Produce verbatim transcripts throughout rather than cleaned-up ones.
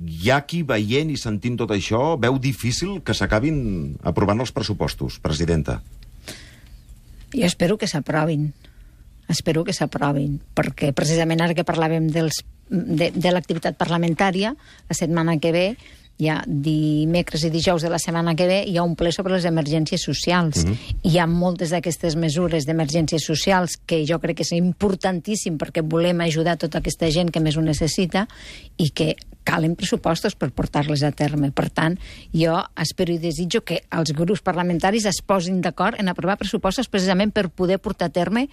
hi ha qui, veient i sentint tot això, veu difícil que s'acabin aprovant els pressupostos, presidenta. Jo espero que s'aprovin. Espero que s'aprovin, perquè precisament ara que parlàvem dels, de, de l'activitat parlamentària, la setmana que ve, ja dimecres i dijous de la setmana que ve, hi ha un ple sobre les emergències socials. Uh-huh. Hi ha moltes d'aquestes mesures d'emergències socials que jo crec que és importantíssim perquè volem ajudar tota aquesta gent que més ho necessita i que calen pressupostos per portar-les a terme. Per tant, jo espero i desitjo que els grups parlamentaris es posin d'acord en aprovar pressupostos precisament per poder portar a terme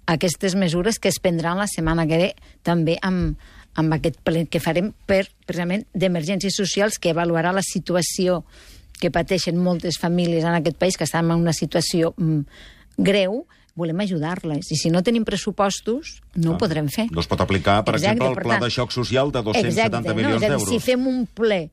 aquestes mesures que es prendran la setmana que ve també amb amb aquest ple que farem per, precisament, d'emergències socials, que avaluarà la situació que pateixen moltes famílies en aquest país, que estan en una situació mm, greu, volem ajudar-les. I si no tenim pressupostos, no ah, ho podrem fer. No es pot aplicar, per exacte, exemple, el per pla tant, de xoc social de dos-cents setanta exacte, milions no, d'euros. Si fem un ple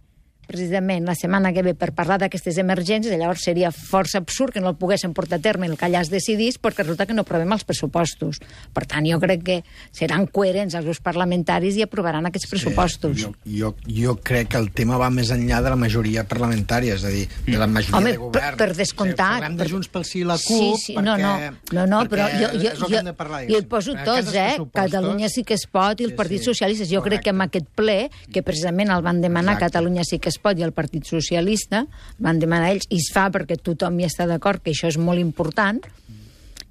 precisament la setmana que ve per parlar d'aquestes emergències, llavors seria força absurd que no el poguéssim portar a terme el que allà es decidís perquè resulta que no aprovem els pressupostos. Per tant, jo crec que seran coherents els grups parlamentaris i aprovaran aquests pressupostos. Sí, jo, jo, jo crec que el tema va més enllà de la majoria parlamentària, és a dir, de la majoria Home, de govern. Per, per descomptat. Parlem de Junts pel Sí i la CUP, sí, sí, perquè, no, no, no, no però jo, jo, jo, jo el poso tots, eh? Catalunya sí que es pot i el sí, Partit sí. Socialista. Jo Correcte. Crec que en aquest ple, que precisament el van demanar Exacte. Catalunya sí que es pot i el Partit Socialista, van demanar ells, i es fa perquè tothom hi està d'acord, que això és molt important,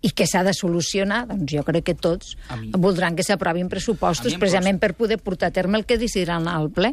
i que s'ha de solucionar, doncs jo crec que tots voldran que s'aprovin pressupostos precisament per poder portar a terme el que decidiran al ple.